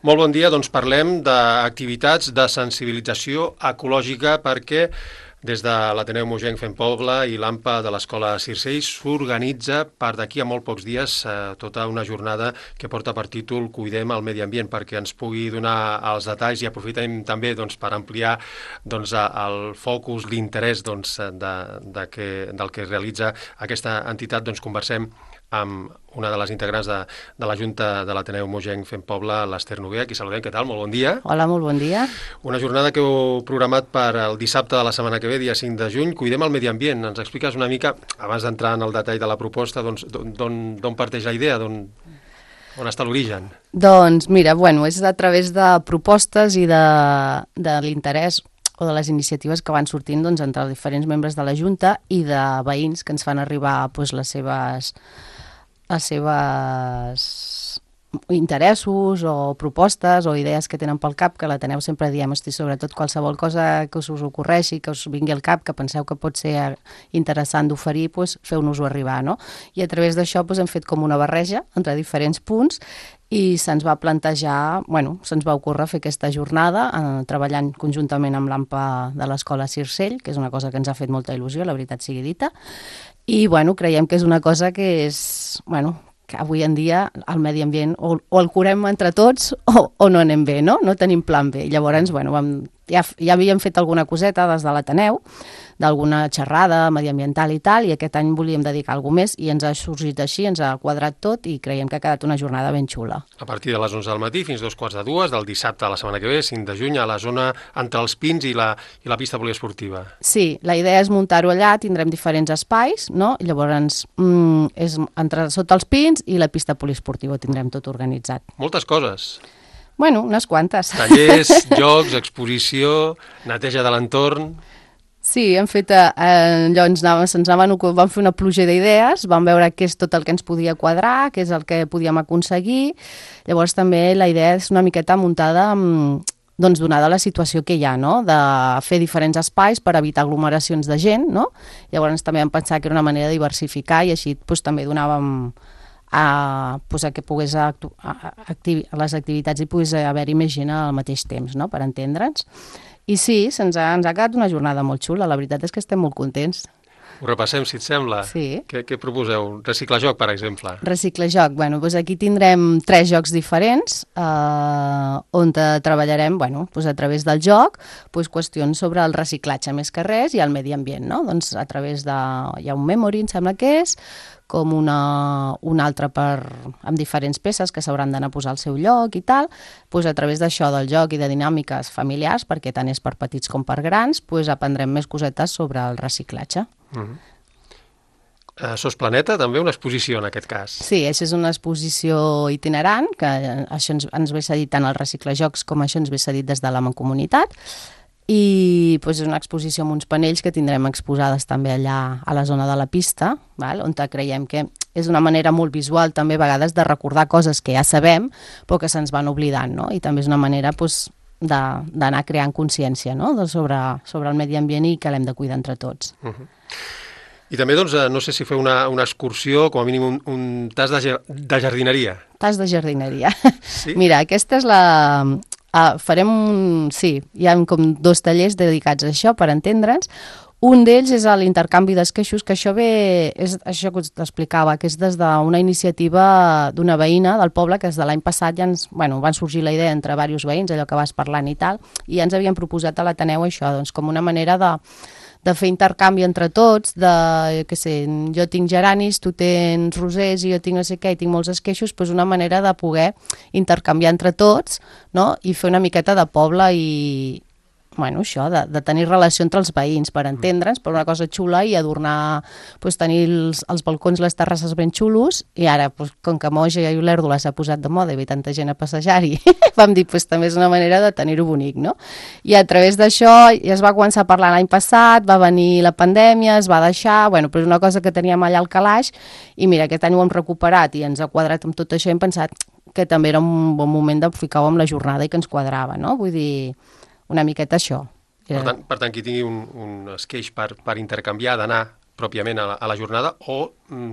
Molt bon dia, doncs parlem d'activitats de sensibilització ecològica perquè des de l'Ateneu Mogenc Fem Poble i l'AMPA de l'Escola Circell s'organitza per d'aquí a molt pocs dies tota una jornada que porta per títol Cuidem el medi ambient, perquè ens pugui donar els detalls i aprofitem també per ampliar el focus, l'interès del que realitza aquesta entitat. Conversem amb una de les integrants de la Junta de l'Ateneu Mogenc Fem Poble, l'Ester Noguer, a qui saludem. Què tal? Molt bon dia. Hola, molt bon dia. Una jornada que heu programat per el dissabte de la setmana que ve, dia 5 de juny. Cuidem el medi ambient. Ens expliques una mica, abans d'entrar en el detall de la proposta, d'on parteix la idea, on està l'origen? Doncs mira, és a través de propostes i de l'interès o de les iniciatives que van sortint entre els diferents membres de la Junta i de veïns que ens fan arribar les seves interessos o propostes o idees que tenen pel cap, que l'Ateneu sempre diem, sobretot qualsevol cosa que us ocorreixi, que us vingui al cap, que penseu que pot ser interessant d'oferir, feu-nos-ho arribar, no? I a través d'això hem fet com una barreja entre diferents punts i se'ns va plantejar, se'ns va ocórrer fer aquesta jornada treballant conjuntament amb l'AMPA de l'Escola Circell, que és una cosa que ens ha fet molta il·lusió, la veritat sigui dita, i creiem que és una cosa que és, que avui en dia el medi ambient o el curem entre tots o no anem bé, no? No tenim plan B. Llavors, ja havíem fet alguna coseta des de l'Ateneu, d'alguna xerrada mediambiental i tal, i aquest any volíem dedicar alguna més i ens ha sorgit així, ens ha quadrat tot i creiem que ha quedat una jornada ben xula. A partir de les 11 del matí fins 2:45 del dissabte de la setmana que ve, 5 de juny, a la zona entre els Pins i la pista poliesportiva. Sí, la idea és muntar-ho allà, tindrem diferents espais, no? I llavors és sota els Pins i la pista poliesportiva tindrem tot organitzat. Moltes coses. Unes quantes. Tallers, jocs, exposició, neteja de l'entorn. Sí, hem fet vam fer una pluja d'idees, vam veure què és tot el que ens podia quadrar, què és el que podíem aconseguir. Llavors també la idea és una miqueta muntada donada la situació que hi ha, no? De fer diferents espais per evitar aglomeracions de gent, no? Llavors també vam pensar que era una manera de diversificar i així també donàvem a que pogués a les activitats i pogués haver-hi més gent al mateix temps, no? Per entendre'ns. I sí, ens ha quedat una jornada molt xula, la veritat és que estem molt contents. Ho repassem, si et sembla. Sí. Què proposeu? Reciclajoc, per exemple. Reciclajoc. Aquí tindrem 3 jocs diferents on treballarem a través del joc qüestions sobre el reciclatge més que res i el medi ambient, no? Doncs a través hi ha un memory, em sembla que és, com un altre amb diferents peces que s'hauran d'anar a posar al seu lloc i tal, a través d'això, del joc i de dinàmiques familiars, perquè tant és per petits com per grans, aprendrem més cosetes sobre el reciclatge. Sos Planeta, també una exposició en aquest cas. Sí, això és una exposició itinerant, que això ens ve cedit tant el Reciclajocs com això ens ve cedit des de la Mancomunitat, i és una exposició amb uns panells que tindrem exposades també allà a la zona de la pista, on creiem que és una manera molt visual també a vegades de recordar coses que ja sabem però que se'ns van oblidant, no? I també és una manera d'anar creant consciència, no? Sobre el medi ambient i que l'hem de cuidar entre tots. I també, no sé si feu una excursió, com a mínim un tas de jardineria. Tas de jardineria. Sí? Mira, aquesta és hi ha com 2 tallers dedicats a això, per entendre'ns. Un d'ells és l'intercanvi d'esqueixos, que això és això que us explicava, que és des d'una iniciativa d'una veïna del poble, que des de l'any passat ja van sorgir la idea entre diversos veïns, allò que vas parlant i tal, i ja ens havien proposat a l'Ateneu això, com una manera de fer intercanvi entre tots, jo tinc geranis, tu tens rosers i jo tinc no sé què, i tinc molts esqueixos, una manera de poder intercanviar entre tots, no? I fer una miqueta de poble i això, de tenir relació entre els veïns, per entendre'ns, per una cosa xula i adornar, tenir els balcons, les terrasses ben xulos, i ara, com que Moja i Olèrdola s'ha posat de moda i ve tanta gent a passejar-hi, vam dir, també és una manera de tenir-ho bonic, no? I a través d'això ja es va començar a parlar l'any passat, va venir la pandèmia, es va deixar, però és una cosa que teníem allà al calaix, i mira, aquest any ho hem recuperat i ens ha quadrat amb tot això i hem pensat que també era un bon moment de ficar-ho amb la jornada i que ens quadrava, no? Vull dir, una miqueta això. Per tant, qui tingui un esqueix per intercanviar, d'anar pròpiament a la jornada o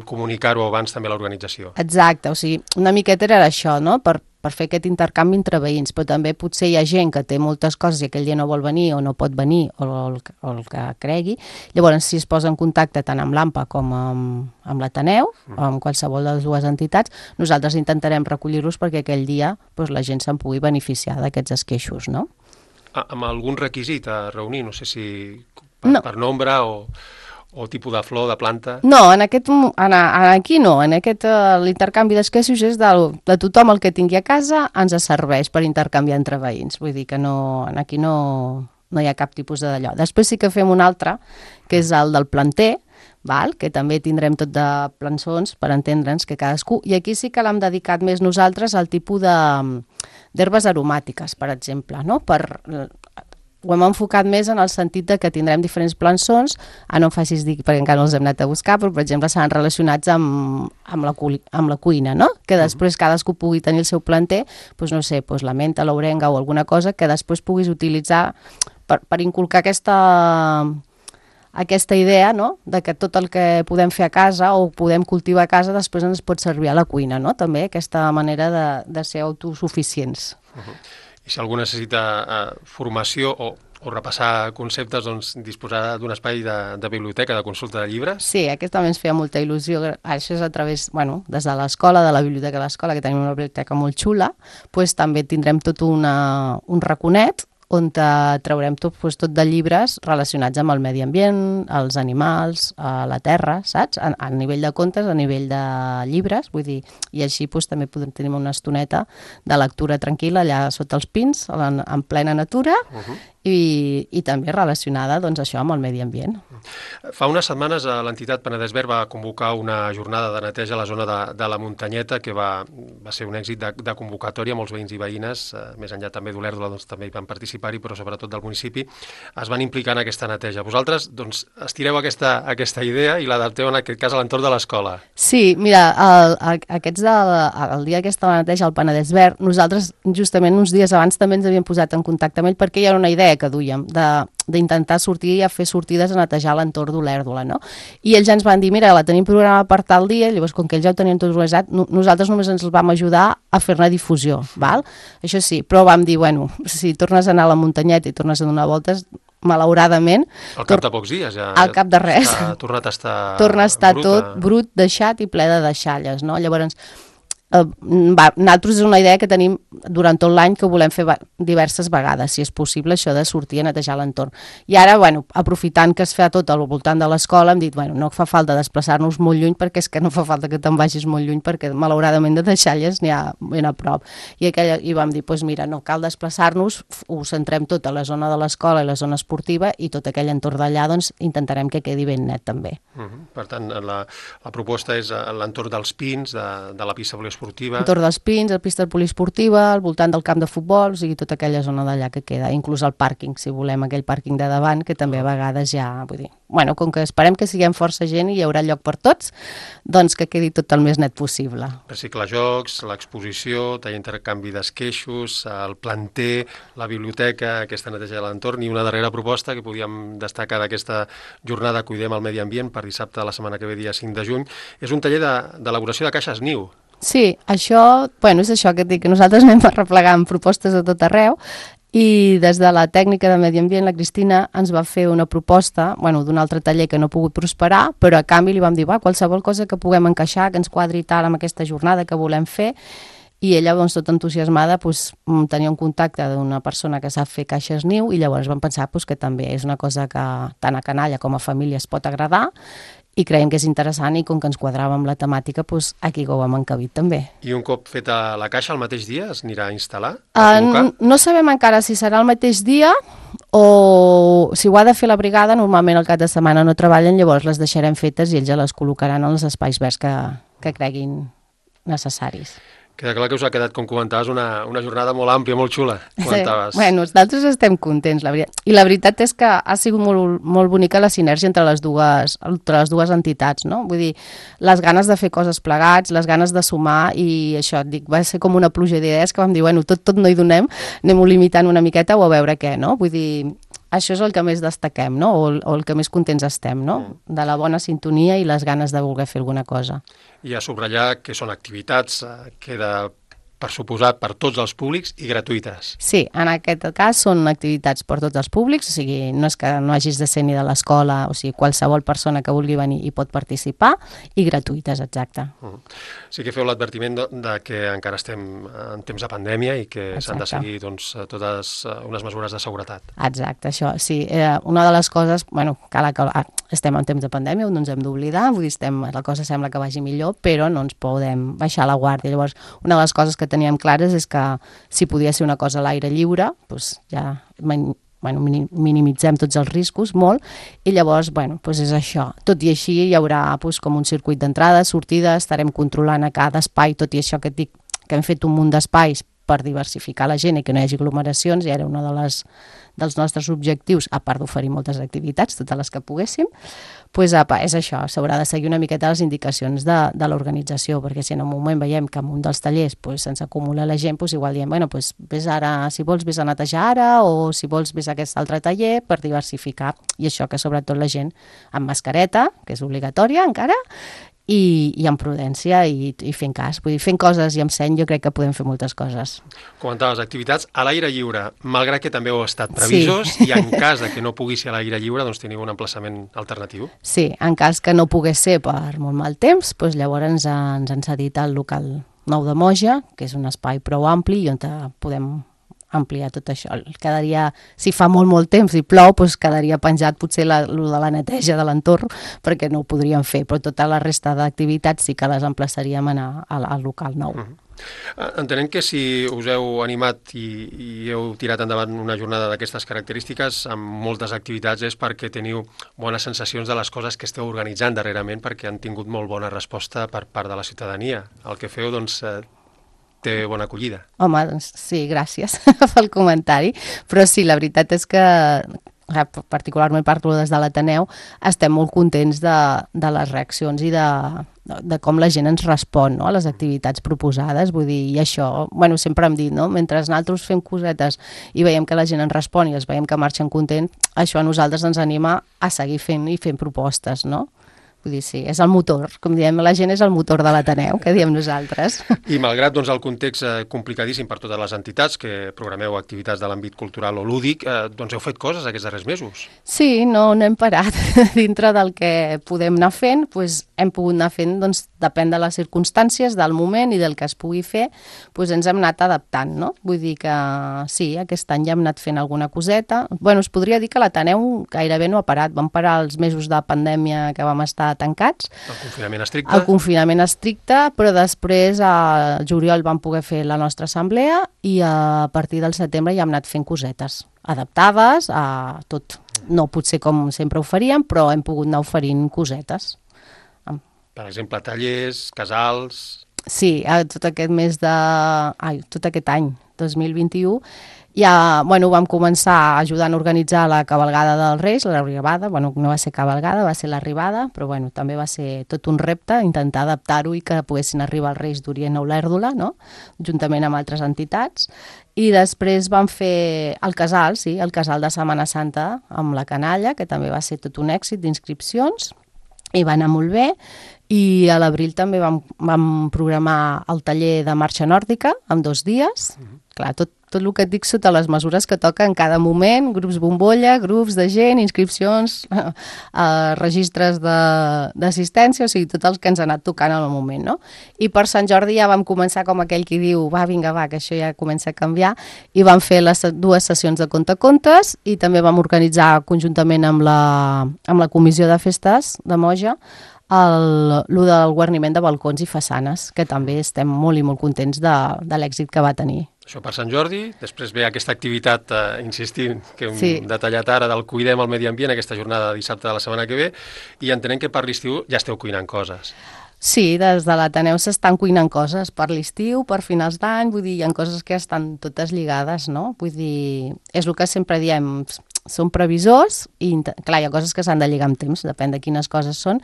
comunicar-ho abans també a l'organització. Exacte, una miqueta era això, no? Per fer aquest intercanvi entre veïns, però també potser hi ha gent que té moltes coses i aquell dia no vol venir o no pot venir o el que cregui. Llavors, si es posa en contacte tant amb l'AMPA com amb l'Ateneu, o amb qualsevol de les dues entitats, nosaltres intentarem recollir-los perquè aquell dia la gent se'n pugui beneficiar d'aquests esqueixos, no? Amb algun requisit a reunir, no sé si per nombre o tipus de flor, de planta? No, aquí no. L'intercanvi d'esqueixos és de tothom el que tingui a casa ens serveix per intercanviar entre veïns. Vull dir que aquí no hi ha cap tipus d'allò. Després sí que fem un altre, que és el del planter, que també tindrem tot de plançons per entendre'ns que cadascú, i aquí sí que l'hem dedicat més nosaltres al tipus d'herbes aromàtiques, per exemple, no? Ho hem enfocat més en el sentit de que tindrem diferents plançons, no em facis dir perquè encara no els hem anat a buscar, però per exemple seran relacionats amb la cuina, no? Que després cadascú pugui tenir el seu planter, no sé, la menta, l'orenga o alguna cosa que després puguis utilitzar per inculcar aquesta idea, no?, de que tot el que podem fer a casa o podem cultivar a casa després ens pot servir a la cuina, no?, també aquesta manera de ser autosuficients. I si algú necessita formació o repassar conceptes, doncs disposar d'un espai de biblioteca, de consulta de llibres? Sí, aquest també ens feia molta il·lusió. Això és a través, des de l'escola, de la biblioteca de l'escola, que tenim una biblioteca molt xula, també tindrem tot un raconet on traurem tot de llibres relacionats amb el medi ambient, els animals, la terra, saps? A nivell de contes, a nivell de llibres, vull dir, i així també podem tenir una estoneta de lectura tranquil·la allà sota els pins, en plena natura, i també relacionada, això, amb el medi ambient. Fa unes setmanes l'entitat Penedès Verd va convocar una jornada de neteja a la zona de la Muntanyeta, que va ser un èxit de convocatòria. Molts veïns i veïnes, més enllà també d'Olèrdola, també hi van participar-hi, però sobretot del municipi, es van implicar en aquesta neteja. Vosaltres, estireu aquesta idea i l'adapteu en aquest cas a l'entorn de l'escola. Sí, mira, el dia aquesta neteja al Penedès Verd, nosaltres justament uns dies abans també ens havíem posat en contacte amb ell perquè hi ha una idea que duíem d'intentar sortir a fer sortides a netejar l'entorn d'Olèrdola, no? I ells ens van dir, mira, la tenim programada per tal dia, llavors com que ells ja ho tenien tot organitzat, nosaltres només ens vam ajudar a fer-ne difusió, val? Això sí, però vam dir, si tornes a anar a la muntanyeta i tornes a donar voltes, malauradament... Al cap de pocs dies, ja... Al cap de res. Torna a estar tot brut, deixat i ple de deixalles, no? Llavors... nosaltres és una idea que tenim durant tot l'any que volem fer diverses vegades, si és possible, això de sortir a netejar l'entorn. I ara, aprofitant que es fa tot al voltant de l'escola, hem dit, no fa falta desplaçar-nos molt lluny perquè és que no fa falta que te'n vagis molt lluny perquè malauradament de deixalles n'hi ha ben a prop. I vam dir, mira, no cal desplaçar-nos, ho centrem tot a la zona de l'escola i la zona esportiva i tot aquell entorn d'allà, intentarem que quedi ben net també. Per tant, la proposta és l'entorn dels pins, de la pista poliesportiva. Entorn dels pins, la pista poliesportiva, al voltant del camp de futbol, o sigui, tota aquella zona d'allà que queda, inclús el pàrquing, si volem, aquell pàrquing de davant, que també a vegades ja, vull dir, com que esperem que siguem força gent i hi haurà lloc per tots, doncs que quedi tot el més net possible. Reciclar jocs, l'exposició, tallar intercanvi d'esqueixos, el planter, la biblioteca, aquesta neteja de l'entorn, i una darrera proposta que podíem destacar d'aquesta jornada Cuidem el Medi Ambient per dissabte de la setmana que ve, dia 5 de juny, és un taller d'elaboració de caixes niu. Sí, això, és això que dic, que nosaltres anem replegant propostes de tot arreu i des de la tècnica de medi ambient, la Cristina ens va fer una proposta, d'un altre taller que no ha pogut prosperar, però a canvi li vam dir, qualsevol cosa que puguem encaixar, que ens quadri tal amb aquesta jornada que volem fer, i ella, tota entusiasmada, tenia un contacte d'una persona que sap fer caixes niu i llavors vam pensar que també és una cosa que tant a canalla com a família es pot agradar i creiem que és interessant i com que ens quadrava amb la temàtica, aquí ho hem encabit també. I un cop feta la caixa, el mateix dia es anirà a instal·lar? No sabem encara si serà el mateix dia o si ho ha de fer la brigada, normalment el cap de setmana no treballen, llavors les deixarem fetes i ells ja les col·locaran en els espais verds que creguin necessaris. Queda clar que us ha quedat, com comentaves, una jornada molt àmplia, molt xula, comentaves. Sí. Nosaltres estem contents, la veritat. I la veritat és que ha sigut molt bonica la sinergia entre les dues entitats, no? Vull dir, les ganes de fer coses plegats, les ganes de sumar i això, va ser com una pluja d'idees que vam dir, tot no hi donem, anem-ho limitant una miqueta o a veure què, no? Vull dir, això és el que més destaquem, no? O el que més contents estem, no? De la bona sintonia i les ganes de voler fer alguna cosa. I a subratllar que són activitats, queda per suposat, per tots els públics i gratuïtes. Sí, en aquest cas són activitats per tots els públics, o sigui, no és que no hagis de ser ni de l'escola, o sigui, qualsevol persona que vulgui venir hi pot participar, i gratuïtes, exacte. Sí que feu l'advertiment de que encara estem en temps de pandèmia i que s'han de seguir doncs, totes unes mesures de seguretat. Exacte, això, sí. Una de les coses, bueno, estem en temps de pandèmia, no ens hem d'oblidar, vull dir, la cosa sembla que vagi millor, però no ens podem baixar la guàrdia. Llavors, una de les coses que teníem clares és que si podia ser una cosa a l'aire lliure, doncs ja minimitzem tots els riscos molt, i llavors, és això. Tot i així hi haurà com un circuit d'entrada, sortida, estarem controlant a cada espai, tot i això que et dic que hem fet un munt d'espais per diversificar la gent i que no hi hagi aglomeracions, i era una dels nostres objectius, a part d'oferir moltes activitats, totes les que poguéssim, doncs és això, s'haurà de seguir una miqueta les indicacions de l'organització, perquè si en un moment veiem que en un dels tallers se'ns acumula la gent, igual diem, vés ara, si vols vés a netejar ara, o si vols vés a aquest altre taller, per diversificar, i això que sobretot la gent amb mascareta, que és obligatòria encara, i amb prudència i fent cas. Vull dir, fent coses i amb seny jo crec que podem fer moltes coses. Comentaves activitats a l'aire lliure, malgrat que també heu estat previsos, sí. I en cas de que no pugui ser a l'aire lliure, doncs teniu un emplaçament alternatiu. Sí, en cas que no pogués ser per molt mal temps, doncs llavors ens han cedit al local nou de Moja, que és un espai prou ampli i on podem ampliar tot això. Quedaria, si fa molt temps i plou, doncs quedaria penjat potser lo de la neteja de l'entorn, perquè no ho podríem fer, però tota la resta d'activitats sí que les emplaçaríem a anar al local nou. Entenem que si us heu animat i heu tirat endavant una jornada d'aquestes característiques amb moltes activitats és perquè teniu bones sensacions de les coses que esteu organitzant darrerament, perquè han tingut molt bona resposta per part de la ciutadania. El que feu, doncs, té bona acollida. Home, doncs sí, gràcies pel comentari, però sí, la veritat és que, particularment parlo des de l'Ateneu, estem molt contents de les reaccions i de com la gent ens respon, no?, a les activitats proposades, vull dir, i això, sempre hem dit, no?, mentre nosaltres fem cosetes i veiem que la gent ens respon i els veiem que marxen contents, això a nosaltres ens anima a seguir fent i fent propostes, no? Vull dir, sí, és el motor, com diem, la gent és el motor de l'Ateneu, que diem nosaltres. I malgrat el context complicadíssim per totes les entitats que programeu activitats de l'àmbit cultural o lúdic, doncs heu fet coses aquests darrers mesos. Sí, no hem parat. Dintre del que podem anar fent, doncs hem pogut anar fent, doncs depèn de les circumstàncies, del moment i del que es pugui fer, doncs ens hem anat adaptant, no? Vull dir que sí, aquest any ja hem anat fent alguna coseta. Es podria dir que l'Ateneu gairebé no ha parat. Vam parar els mesos de pandèmia que vam estar tancats. El confinament estricte. El confinament estricte, però després a juliol vam poder fer la nostra assemblea i a partir del setembre ja hem anat fent cosetes adaptades a tot. No potser com sempre ho faríem, però hem pogut anar oferint cosetes. Per exemple, tallers, casals... Sí, tot aquest any, 2021, ja vam començar ajudant a organitzar la cavalgada dels Reis, l'arribada, no va ser cavalgada, va ser l'arribada, però també va ser tot un repte, intentar adaptar-ho i que poguessin arribar els Reis d'Orient a Olèrdola, no?, juntament amb altres entitats. I després vam fer el casal, sí, el casal de Setmana Santa amb la canalla, que també va ser tot un èxit d'inscripcions, i va anar molt bé, i a l'abril també vam programar el taller de marxa nòrdica en 2 dies. Clar, tot el que et dic sota les mesures que toca en cada moment, grups bombolla, grups de gent, inscripcions, registres d'assistència, o sigui, tot el que ens ha anat tocant al moment, no? I per Sant Jordi ja vam començar com aquell qui diu, vinga, que això ja comença a canviar, i vam fer les 2 sessions de contacontes i també vam organitzar conjuntament amb la Comissió de Festes de Moja el del guarniment de balcons i façanes, que també estem molt i molt contents de l'èxit que va tenir. Això per Sant Jordi, després ve aquesta activitat, insistint, que hem detallat ara, del Cuidem el Medi Ambient, aquesta jornada de dissabte de la setmana que ve, i entenem que per l'estiu ja esteu cuinant coses. Sí, des de l'Ateneu s'estan cuinant coses per l'estiu, per finals d'any, vull dir, hi ha coses que estan totes lligades, no? Vull dir, és el que sempre diem, som previsors i, clar, hi ha coses que s'han de lligar amb temps, depèn de quines coses són,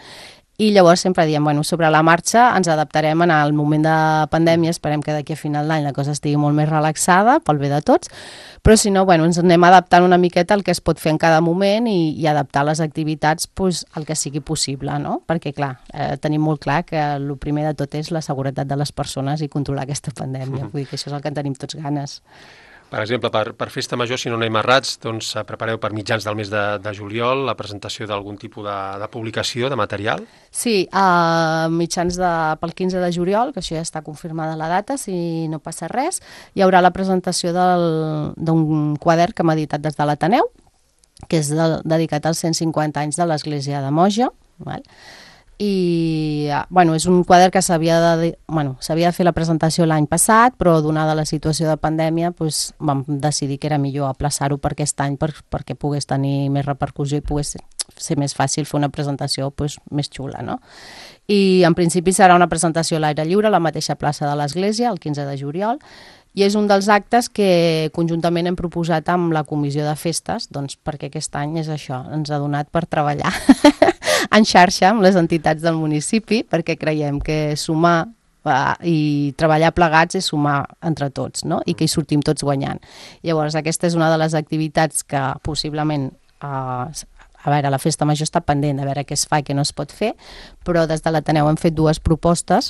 i llavors sempre diem, bueno, sobre la marxa ens adaptarem en el moment de pandèmia, esperem que d'aquí a final d'any la cosa estigui molt més relaxada pel bé de tots, però si no, bueno, ens anem adaptant una miqueta al que es pot fer en cada moment i adaptar les activitats pues, al que sigui possible, no? Perquè, clar, tenim molt clar que el primer de tot és la seguretat de les persones i controlar aquesta pandèmia. Vull dir que això és el que en tenim tots ganes. Per exemple, per Festa Major, si no anem errats, doncs prepareu per mitjans del mes de juliol la presentació d'algun tipus de publicació, de material? Sí, mitjans pel 15 de juliol, que això ja està confirmada la data, si no passa res, hi haurà la presentació d'un quadern que hem editat des de l'Ateneu, que és dedicat als 150 anys de l'Església de Moja, val? I bueno, és un quadern que s'havia de fer la presentació l'any passat, però donada la situació de pandèmia doncs, vam decidir que era millor aplaçar-ho per aquest any perquè pogués tenir més repercussió i pogués ser més fàcil fer una presentació doncs, més xula, no? I en principi serà una presentació a l'aire lliure a la mateixa plaça de l'Església, el 15 de juliol, i és un dels actes que conjuntament hem proposat amb la Comissió de Festes, doncs perquè aquest any és això, ens ha donat per treballar en xarxa amb les entitats del municipi, perquè creiem que sumar i treballar plegats és sumar entre tots, no? I que hi sortim tots guanyant. Llavors, aquesta és una de les activitats que possiblement a veure, la Festa Major està pendent de veure què es fa i què no es pot fer, però des de l'Ateneu hem fet dues propostes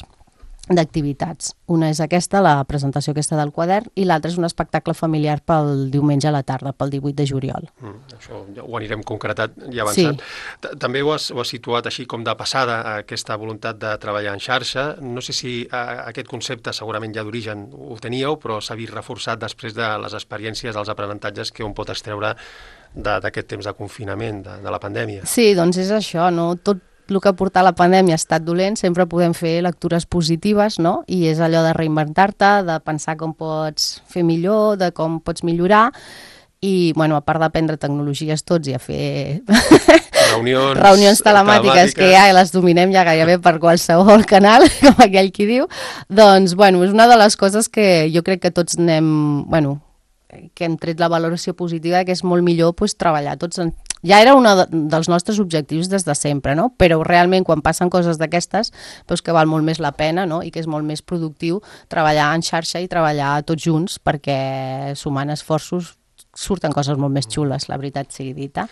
d'activitats. Una és aquesta, la presentació aquesta del quadern, i l'altra és un espectacle familiar pel diumenge a la tarda, pel 18 de juliol. Això ja ho anirem concretat i avançant. Sí. També ho has situat així com de passada, aquesta voluntat de treballar en xarxa. No sé si aquest concepte segurament ja d'origen ho teníeu, però s'ha vist reforçat després de les experiències, els aprenentatges que un pot extreure d'aquest temps de confinament, de la pandèmia. Sí, doncs és això, no? Tot el que ha portat la pandèmia ha estat dolent, sempre podem fer lectures positives, no? I és allò de reinventar-te, de pensar com pots fer millor, de com pots millorar, i, bueno, a part d'aprendre tecnologies tots i a fer reunions telemàtiques que ja les dominem ja gairebé per qualsevol canal, com aquell qui diu, doncs, bueno, és una de les coses que jo crec que tots que hem tret la valoració positiva, que és molt millor pues, treballar tots ja era un dels nostres objectius des de sempre, no? Però realment quan passen coses d'aquestes doncs que val molt més la pena, no? I que és molt més productiu treballar en xarxa i treballar tots junts perquè sumant esforços surten coses molt més xules, la veritat sigui dita,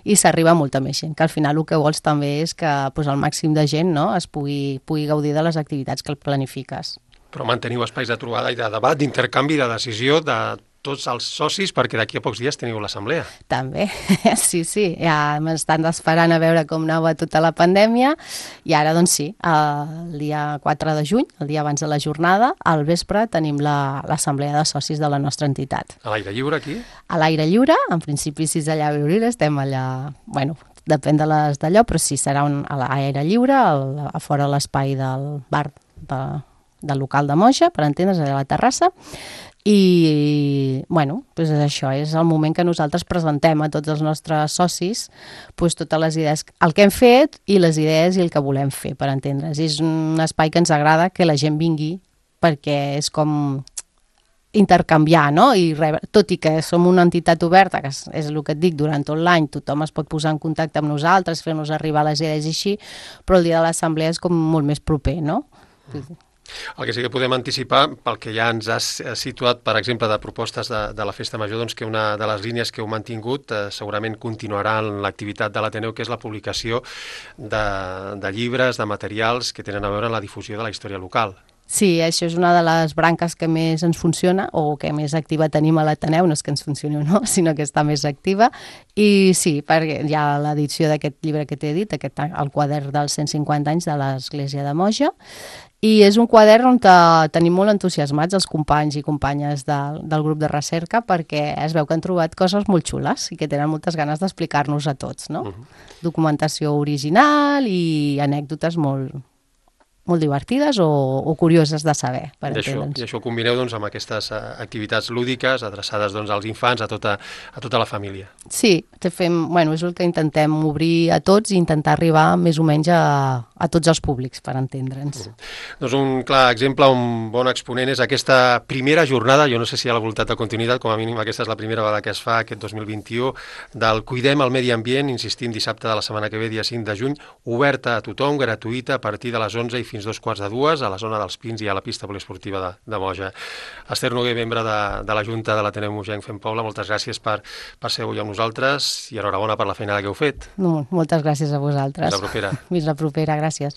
i s'arriba a molta més gent, que al final el que vols també és que doncs, el màxim de gent no? es pugui gaudir de les activitats que planifiques. Però manteniu espais de trobada i de debat, d'intercanvi, de decisió de tots els socis, perquè d'aquí a pocs dies teniu l'assemblea. També, sí, ja m'estan esperant a veure com anava tota la pandèmia, i ara, doncs sí, el dia 4 de juny, el dia abans de la jornada, al vespre tenim l'assemblea de socis de la nostra entitat. A l'aire lliure, aquí? A l'aire lliure, en principi si és allà a Viuril, estem allà, bueno, depèn de les d'allò, però sí, serà a l'aire lliure, a fora l'espai del bar del local de Moja, per entendre's, allà a la terrassa. I, bueno, doncs això és el moment que nosaltres presentem a tots els nostres socis doncs totes les idees, el que hem fet i les idees i el que volem fer, per entendre's. És un espai que ens agrada que la gent vingui perquè és com intercanviar, no? I tot i que som una entitat oberta, que és el que et dic, durant tot l'any tothom es pot posar en contacte amb nosaltres, fer-nos arribar les idees i així, però el dia de l'assemblea és com molt més proper, no? El que sí que podem anticipar, pel que ja ens has situat, per exemple, de propostes de la Festa Major, doncs que una de les línies que heu mantingut segurament continuarà en l'activitat de l'Ateneu, que és la publicació de llibres, de materials que tenen a veure amb la difusió de la història local. Sí, això és una de les branques que més ens funciona o que més activa tenim a l'Ateneu, no és que ens funcioni o no, sinó que està més activa. I sí, perquè hi ha l'edició d'aquest llibre que t'he dit, el quadern dels 150 anys de l'Església de Moja, i és un quadern on tenim molt entusiasmats els companys i companyes del grup de recerca perquè es veu que han trobat coses molt xules i que tenen moltes ganes d'explicar-nos a tots, no? Documentació original i anècdotes molt molt divertides o curioses de saber, per entendre'ns. I això ho combineu doncs, amb aquestes activitats lúdiques adreçades doncs, als infants, a tota la família. Sí, bueno, és el que intentem obrir a tots i intentar arribar més o menys a tots els públics, per entendre'ns. Doncs un clar exemple, un bon exponent és aquesta primera jornada, jo no sé si hi ha la voluntat de continuïtat, com a mínim aquesta és la primera vegada que es fa aquest 2021, del Cuidem el Medi Ambient, insistim, dissabte de la setmana que ve, dia 5 de juny, oberta a tothom, gratuïta, a partir de les 11 i fins 2:45, a la zona dels Pins i a la pista poliesportiva de Moja. Esther Noguer, membre de la Junta de l'Ateneu Mogenc Fem Poble, moltes gràcies per ser avui amb nosaltres i enhorabona per la feina que heu fet. No, moltes gràcies a vosaltres. Fins la propera. Fins la propera, gràcies.